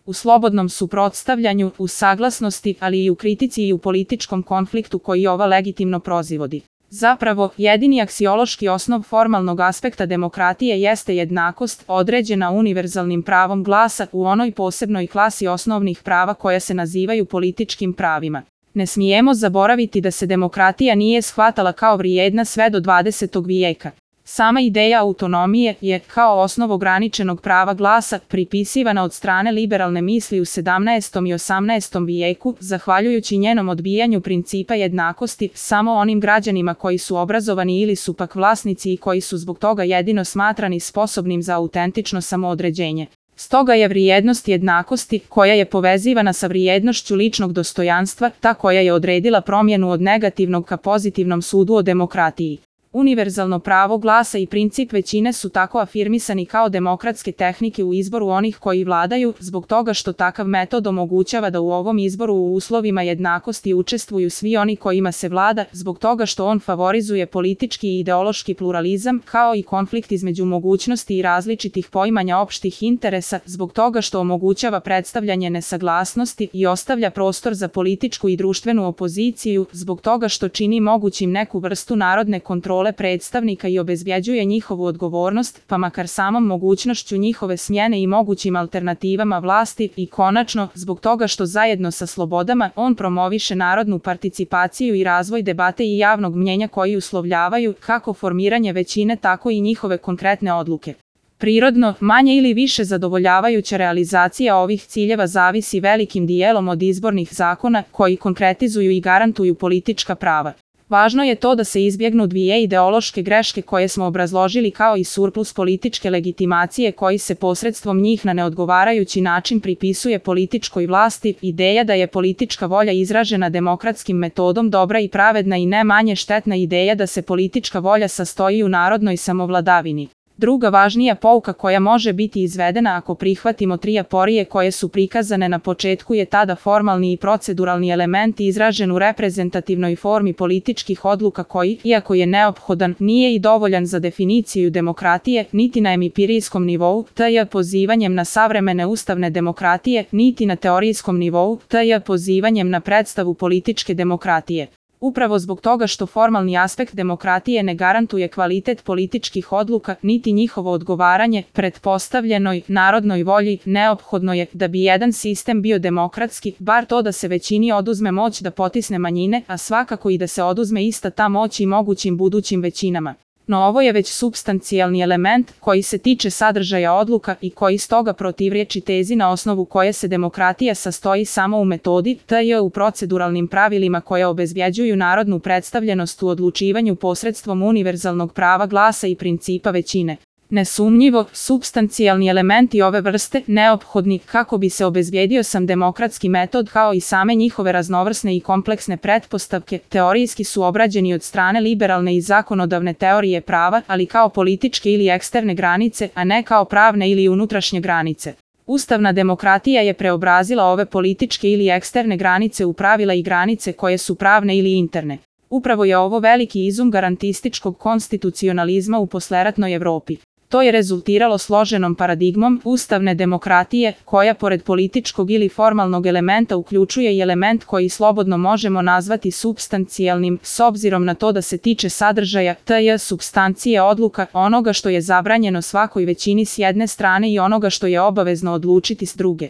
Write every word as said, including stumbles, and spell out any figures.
u slobodnom suprotstavljanju, u saglasnosti, ali i u kritici i u političkom konfliktu koji ova legitimno proizvodi. Zapravo, jedini aksiološki osnov formalnog aspekta demokratije jeste jednakost, određena univerzalnim pravom glasa u onoj posebnoj klasi osnovnih prava koja se nazivaju političkim pravima. Ne smijemo zaboraviti da se demokratija nije shvatala kao vrijedna sve do dvadesetog vijeka. Sama ideja autonomije je, kao osnov ograničenog prava glasa, pripisivana od strane liberalne misli u sedamnaestom i osamnaestom vijeku, zahvaljujući njenom odbijanju principa jednakosti samo onim građanima koji su obrazovani ili su pak vlasnici i koji su zbog toga jedino smatrani sposobnim za autentično samoodređenje. Stoga je vrijednost jednakosti, koja je povezivana sa vrijednošću ličnog dostojanstva, ta koja je odredila promjenu od negativnog ka pozitivnom sudu o demokratiji. Univerzalno pravo glasa i princip većine su tako afirmisani kao demokratske tehnike u izboru onih koji vladaju, zbog toga što takav metod omogućava da u ovom izboru u uslovima jednakosti učestvuju svi oni kojima se vlada, zbog toga što on favorizuje politički i ideološki pluralizam, kao i konflikt između mogućnosti i različitih poimanja opštih interesa, zbog toga što omogućava predstavljanje nesaglasnosti i ostavlja prostor za političku i društvenu opoziciju, zbog toga što čini mogućim neku vrstu narodne kontrole predstavnika i obezbjeđuje njihovu odgovornost, pa makar samom mogućnošću njihove smjene i mogućim alternativama vlasti, i konačno, zbog toga što zajedno sa slobodama on promoviše narodnu participaciju i razvoj debate i javnog mnjenja koji uslovljavaju kako formiranje većine tako i njihove konkretne odluke. Prirodno, manje ili više zadovoljavajuća realizacija ovih ciljeva zavisi velikim dijelom od izbornih zakona koji konkretizuju i garantuju politička prava. Važno je to da se izbjegnu dvije ideološke greške koje smo obrazložili kao i surplus političke legitimacije koji se posredstvom njih na neodgovarajući način pripisuje političkoj vlasti, ideja da je politička volja izražena demokratskim metodom dobra i pravedna i ne manje štetna ideja da se politička volja sastoji u narodnoj samovladavini. Druga važnija pouka koja može biti izvedena ako prihvatimo tri aporije koje su prikazane na početku je tada formalni i proceduralni element izražen u reprezentativnoj formi političkih odluka koji, iako je neophodan, nije i dovoljan za definiciju demokratije, niti na empirijskom nivou, tj. pozivanjem na savremene ustavne demokratije, niti na teorijskom nivou, tj. pozivanjem na predstavu političke demokratije. Upravo zbog toga što formalni aspekt demokratije ne garantuje kvalitet političkih odluka, niti njihovo odgovaranje pretpostavljenoj narodnoj volji, neophodno je da bi jedan sistem bio demokratski, bar to da se većini oduzme moć da potisne manjine, a svakako i da se oduzme ista ta moć i mogućim budućim većinama. No ovo je već supstancijalni element koji se tiče sadržaja odluka i koji stoga protivriječi tezi na osnovu koje se demokratija sastoji samo u metodi, tj. u proceduralnim pravilima koje obezbjeđuju narodnu predstavljenost u odlučivanju posredstvom univerzalnog prava glasa i principa većine. Nesumnjivo, supstancijalni elementi ove vrste, neophodni kako bi se obezbijedio sam demokratski metod kao i same njihove raznovrsne i kompleksne pretpostavke, teorijski su obrađeni od strane liberalne i zakonodavne teorije prava, ali kao političke ili eksterne granice, a ne kao pravne ili unutrašnje granice. Ustavna demokratija je preobrazila ove političke ili eksterne granice u pravila i granice koje su pravne ili interne. Upravo je ovo veliki izum garantističkog konstitucionalizma u posleratnoj Evropi. To je rezultiralo složenom paradigmom ustavne demokratije, koja pored političkog ili formalnog elementa uključuje i element koji slobodno možemo nazvati supstancijalnim, s obzirom na to da se tiče sadržaja, tj. supstancije odluka, onoga što je zabranjeno svakoj većini s jedne strane i onoga što je obavezno odlučiti s druge.